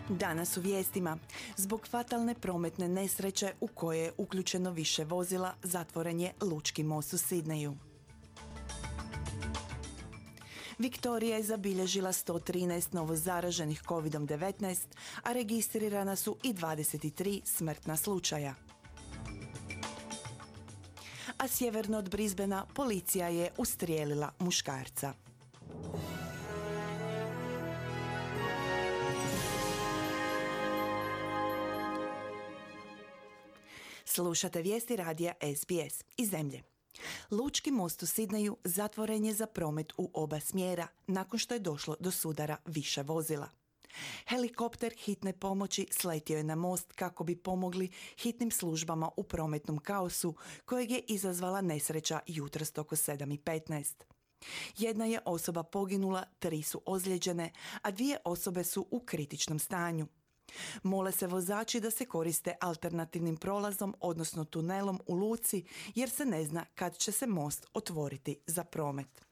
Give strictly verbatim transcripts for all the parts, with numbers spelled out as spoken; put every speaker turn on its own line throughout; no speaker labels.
Danas u vijestima. Zbog fatalne prometne nesreće u koje je uključeno više vozila, zatvoren je Lučki most u Sidneju. Viktorija je zabilježila sto trinaest novozaraženih kovid devetnaest, a registrirana su i dvadeset tri smrtna slučaja. A sjeverno od Brisbanea policija je ustrijelila muškarca. Slušate vijesti radija S B S iz zemlje. Lučki most u Sidneju zatvoren je za promet u oba smjera nakon što je došlo do sudara više vozila. Helikopter hitne pomoći sletio je na most kako bi pomogli hitnim službama u prometnom kaosu kojeg je izazvala nesreća jutros oko sedam i petnaest. Jedna je osoba poginula, tri su ozlijeđene, a dvije osobe su u kritičnom stanju. Mole se vozači da se koriste alternativnim prolazom, odnosno tunelom u luci, jer se ne zna kad će se most otvoriti za promet.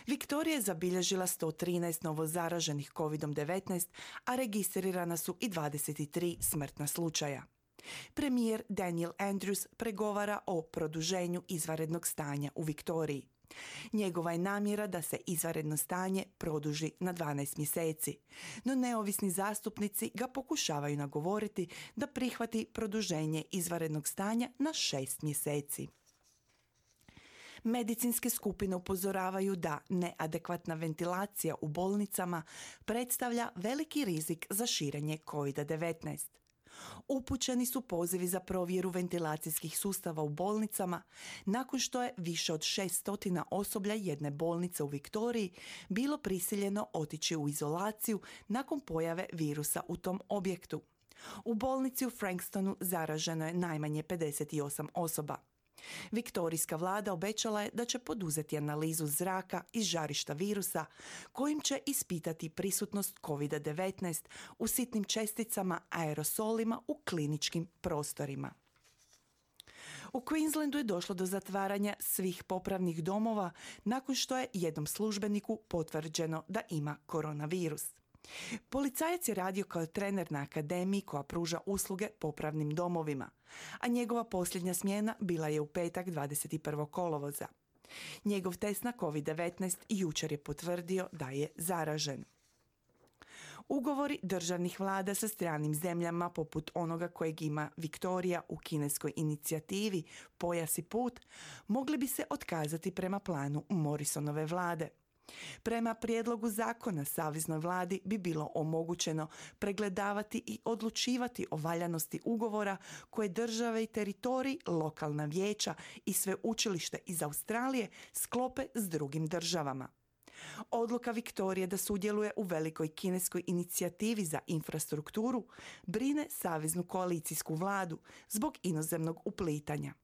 Viktorija je zabilježila sto trinaest novozaraženih kovid devetnaest, a registrirana su i dvadeset tri smrtna slučaja. Premijer Daniel Andrews pregovara o produženju izvanrednog stanja u Viktoriji. Njegova je namjera da se izvanredno stanje produži na dvanaest mjeseci, no neovisni zastupnici ga pokušavaju nagovoriti da prihvati produženje izvanrednog stanja na šest mjeseci. Medicinske skupine upozoravaju da neadekvatna ventilacija u bolnicama predstavlja veliki rizik za širenje kovid devetnaest. Upućeni su pozivi za provjeru ventilacijskih sustava u bolnicama nakon što je više od šesto osoblja jedne bolnice u Viktoriji bilo prisiljeno otići u izolaciju nakon pojave virusa u tom objektu. U bolnici u Frankstonu zaraženo je najmanje pedeset osam osoba. Viktorijska vlada obećala je da će poduzeti analizu zraka iz žarišta virusa kojim će ispitati prisutnost kovid devetnaest u sitnim česticama, aerosolima u kliničkim prostorima. U Queenslandu je došlo do zatvaranja svih popravnih domova nakon što je jednom službeniku potvrđeno da ima koronavirus. Policajac je radio kao trener na akademiji koja pruža usluge popravnim domovima, a njegova posljednja smjena bila je u petak dvadeset prvog kolovoza. Njegov test na kovid devetnaest jučer je potvrdio da je zaražen. Ugovori državnih vlada sa stranim zemljama poput onoga kojeg ima Viktorija u kineskoj inicijativi Pojas i put mogli bi se otkazati prema planu Morrisonove vlade. Prema prijedlogu zakona saveznoj vladi bi bilo omogućeno pregledavati i odlučivati o valjanosti ugovora koje države i teritoriji, lokalna vijeća i sveučilište iz Australije sklope s drugim državama. Odluka Viktorije da sudjeluje u velikoj kineskoj inicijativi za infrastrukturu brine saveznu koalicijsku vladu zbog inozemnog uplitanja.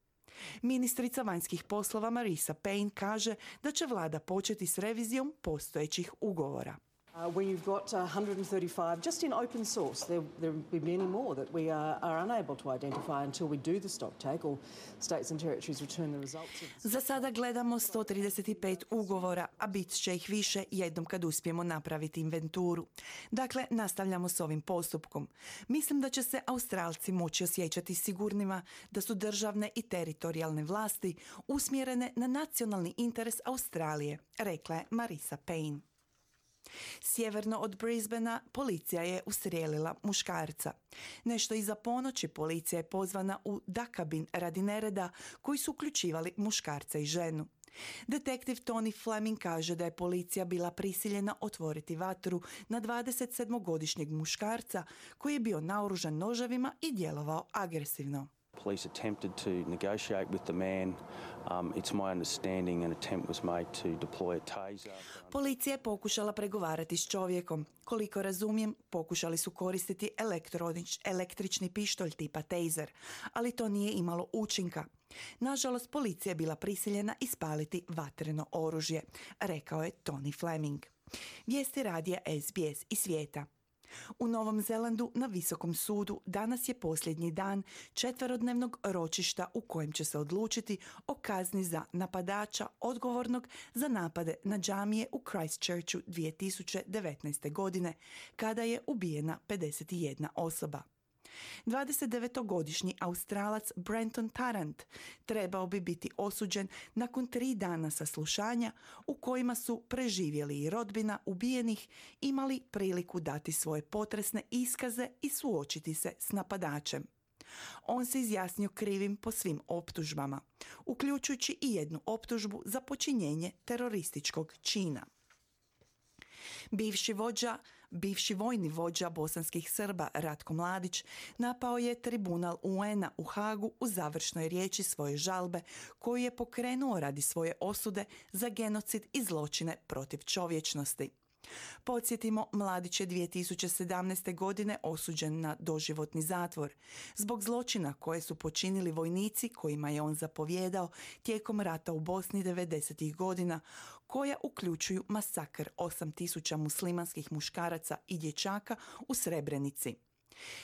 Ministrica vanjskih poslova Marisa Payne kaže da će vlada početi s revizijom postojećih ugovora.
Uh, we've got one hundred thirty-five just in open source. There there will be many more that we are, are unable to identify until we do the stock take or states and territories return the results of the...
Za sada gledamo sto trideset pet ugovora, a bit će ih više jednom kad uspijemo napraviti inventuru. Dakle, nastavljamo s ovim postupkom. Mislim da će se Australci moći osjećati sigurnima da su državne i teritorijalne vlasti usmjerene na nacionalni interes Australije, rekla je Marisa Payne. Sjeverno od Brisbanea policija je ustrijelila muškarca. Nešto iza ponoći policija je pozvana u Dakabin radi nereda koji su uključivali muškarca i ženu. Detektiv Tony Fleming kaže da je policija bila prisiljena otvoriti vatru na dvadesetsedmogodišnjeg muškarca koji je bio naoružan noževima i djelovao agresivno.
Police attempted to negotiate with the man. Um, it's my understanding an attempt was made to deploy a taser.
Policija je pokušala pregovarati s čovjekom. Koliko razumijem, pokušali su koristiti električni pištolj tipa taser, ali to nije imalo učinka. Nažalost, policija je bila prisiljena ispaliti vatreno oružje, rekao je Tony Fleming. Vijesti radija S B S iz svijeta. U Novom Zelandu na Visokom sudu danas je posljednji dan četverodnevnog ročišta u kojem će se odlučiti o kazni za napadača odgovornog za napade na džamije u Christchurchu dvije tisuće devetnaeste. godine, kada je ubijena pedeset jedna osoba. dvadesetdevetogodišnji Australac Brenton Tarrant trebao bi biti osuđen nakon tri dana saslušanja u kojima su preživjeli i rodbina ubijenih imali priliku dati svoje potresne iskaze i suočiti se s napadačem. On se izjasnio krivim po svim optužbama, uključujući i jednu optužbu za počinjenje terorističkog čina. Bivši vođa, bivši vojni vođa bosanskih Srba Ratko Mladić napao je tribunal U N-a u Hagu u završnoj riječi svoje žalbe koju je pokrenuo radi svoje osude za genocid i zločine protiv čovječnosti. Podsjetimo, Mladić je dvije tisuće sedamnaeste. godine osuđen na doživotni zatvor zbog zločina koje su počinili vojnici kojima je on zapovjedao tijekom rata u Bosni devedesetih godina, koja uključuju masakr osam tisuća muslimanskih muškaraca i dječaka u Srebrenici.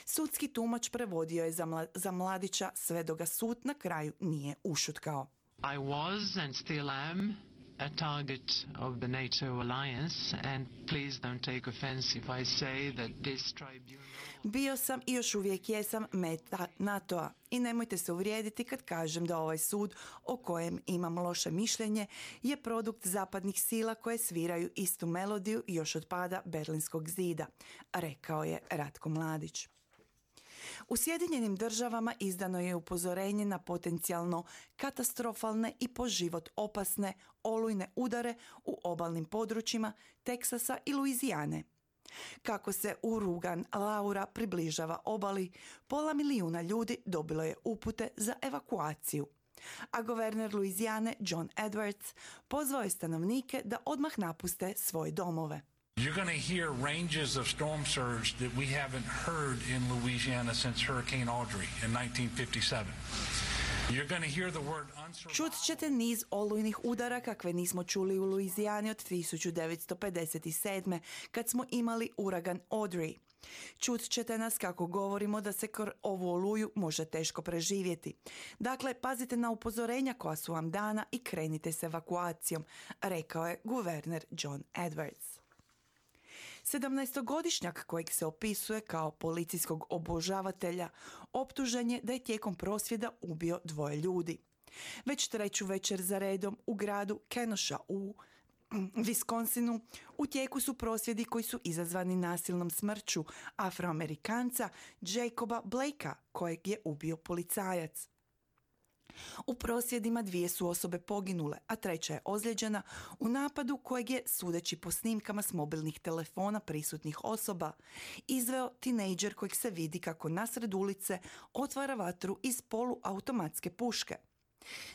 Sudski tumač prevodio je za, mla, za Mladića sve dok ga sud na kraju nije ušutkao.
I was and still am a target of the NATO alliance, and please don't take offense if I say that this tribunal...
Bio sam i još uvijek jesam meta NATO-a i nemojte se uvrijediti kad kažem da ovaj sud, o kojem imam loše mišljenje, je produkt zapadnih sila koje sviraju istu melodiju još od pada Berlinskog zida, rekao je Ratko Mladić. U Sjedinjenim državama izdano je upozorenje na potencijalno katastrofalne i po život opasne olujne udare u obalnim područjima Teksasa i Luizijane. Kako se uragan Laura približava obali, pola milijuna ljudi dobilo je upute za evakuaciju, a guverner Luizijane John Edwards pozvao je stanovnike da odmah napuste svoje domove.
You're going to hear ranges of storm surge that we haven't heard in Louisiana since Hurricane Audrey in nineteen fifty-seven. You're going to hear the word unsurvivable.
Čut ćete niz olujnih udara kakve nismo čuli u Luizijani od tisuću devetsto pedeset sedme. kad smo imali uragan Audrey. Čut ćete nas kako govorimo da se kor ovu oluju može teško preživjeti. Dakle, pazite na upozorenja koja su vam dana i krenite s evakuacijom, rekao je guverner John Edwards. sedamnaestogodišnjak kojeg se opisuje kao policijskog obožavatelja optužen je da je tijekom prosvjeda ubio dvoje ljudi. Već treću večer za redom u gradu Kenosha u Wisconsinu u tijeku su prosvjedi koji su izazvani nasilnom smrću Afroamerikanca Jacoba Blakea, kojeg je ubio policajac. U prosvjedima dvije su osobe poginule, a treća je ozlijeđena u napadu kojeg je, sudeći po snimkama s mobilnih telefona prisutnih osoba, izveo tinejdžer kojeg se vidi kako nasred ulice otvara vatru iz poluautomatske puške.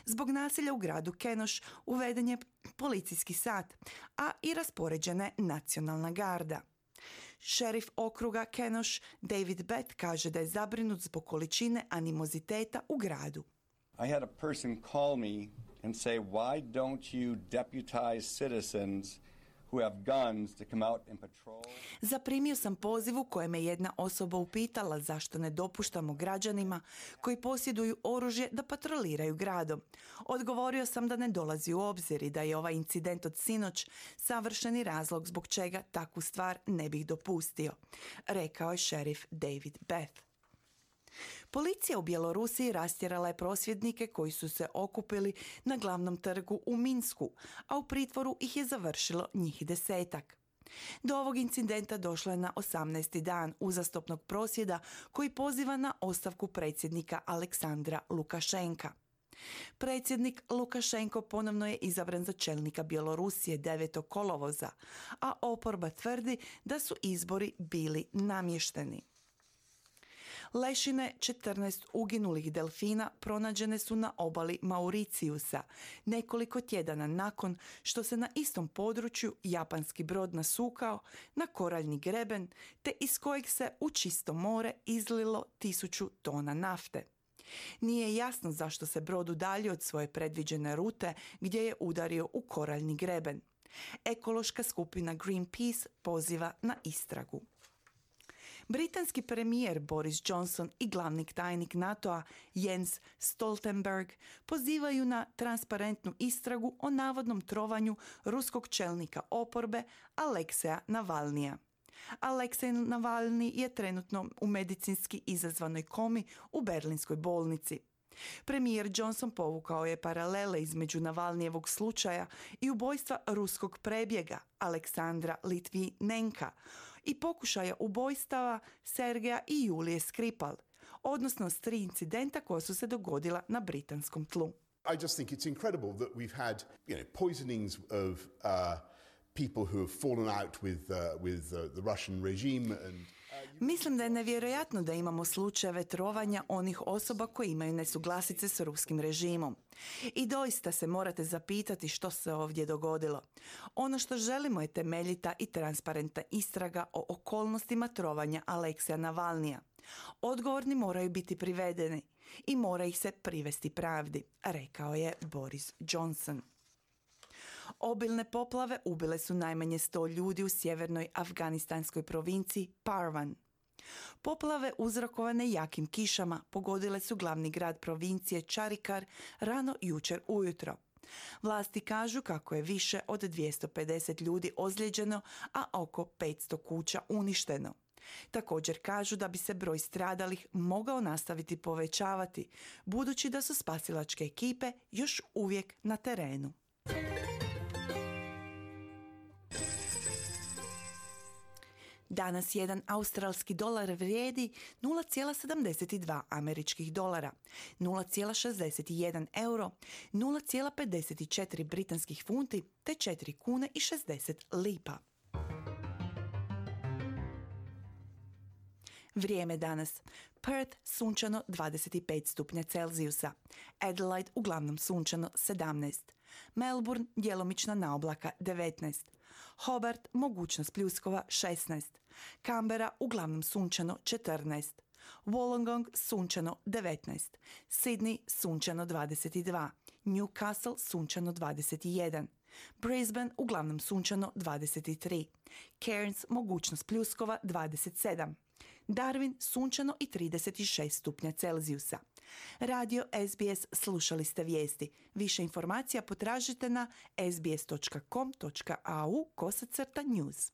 Zbog nasilja u gradu Kenosha uveden je policijski sat, a i raspoređena je nacionalna garda. Šerif okruga Kenosha David Bett kaže da je zabrinut zbog količine animoziteta u gradu.
I had a person call me and say, why don't you deputize citizens who have guns to come out and patrol?
Zaprimio sam poziv u kojem me jedna osoba upitala zašto ne dopuštamo građanima koji posjeduju oružje da patroliraju gradom. Odgovorio sam da ne dolazi u obzir i da je ovaj incident od sinoć savršeni razlog zbog čega takvu stvar ne bih dopustio, rekao je šerif David Beth. Policija u Bjelorusiji rastjerala je prosvjednike koji su se okupili na glavnom trgu u Minsku, a u pritvoru ih je završilo njih desetak. Do ovog incidenta došlo je na osamnaesti dan uzastopnog prosvjeda koji poziva na ostavku predsjednika Aleksandra Lukašenka. Predsjednik Lukašenko ponovno je izabran za čelnika Bjelorusije devetog kolovoza, a oporba tvrdi da su izbori bili namješteni. Lešine četrnaest uginulih delfina pronađene su na obali Mauricijusa nekoliko tjedana nakon što se na istom području japanski brod nasukao na koraljni greben te iz kojeg se u čisto more izlilo tisuću tona nafte. Nije jasno zašto se brod udaljio od svoje predviđene rute gdje je udario u koraljni greben. Ekološka skupina Greenpeace poziva na istragu. Britanski premijer Boris Johnson i glavni tajnik NATO-a Jens Stoltenberg pozivaju na transparentnu istragu o navodnom trovanju ruskog čelnika oporbe Alekseja Navalnija. Aleksej Navalni je trenutno u medicinski izazvanoj komi u berlinskoj bolnici. Premijer Johnson povukao je paralele između Navalnijevog slučaja i ubojstva ruskog prebjega Aleksandra Litvinenka i pokušaja ubojstava Sergeja i Julije Skripal, odnosno s tri incidenta koja su se dogodila na britanskom tlu.
I just think it's incredible that we've had, you know, poisonings of uh, people who have fallen out with uh, with uh, the Russian regime and
Mislim da je nevjerojatno da imamo slučajeve trovanja onih osoba koji imaju nesuglasice s ruskim režimom. I doista se morate zapitati što se ovdje dogodilo. Ono što želimo je temeljita i transparentna istraga o okolnostima trovanja Alekseja Navalnija. Odgovorni moraju biti privedeni i mora ih se privesti pravdi, rekao je Boris Johnson. Obilne poplave ubile su najmanje sto ljudi u sjevernoj afganistanskoj provinciji Parvan. Poplave uzrokovane jakim kišama pogodile su glavni grad provincije Charikar rano jučer ujutro. Vlasti kažu kako je više od dvjesto pedeset ljudi ozlijeđeno, a oko petsto kuća uništeno. Također kažu da bi se broj stradalih mogao nastaviti povećavati, budući da su spasilačke ekipe još uvijek na terenu. Danas jedan australski dolar vrijedi nula zarez sedamdeset dva američkih dolara, nula zarez šezdeset jedan euro, nula zarez pedeset četiri britanskih funti te četiri kune i šezdeset lipa. Vrijeme danas. Perth sunčano dvadeset pet stupnja Celzijusa. Adelaide uglavnom sunčano sedamnaest. Melbourne djelomična naoblaka devetnaest. Hobart mogućnost pljuskova šesnaest. Canberra uglavnom sunčano četrnaest. Wollongong sunčano devetnaest. Sydney sunčano dvadeset dva. Newcastle sunčano dvadeset jedan. Brisbane uglavnom sunčano dvadeset tri. Cairns mogućnost pljuskova dvadeset sedam. Darwin sunčano i trideset šest stupnja Celzijusa. Radio S B S, slušali ste vijesti. Više informacija potražite na sbs točka com točka au kosacrta news.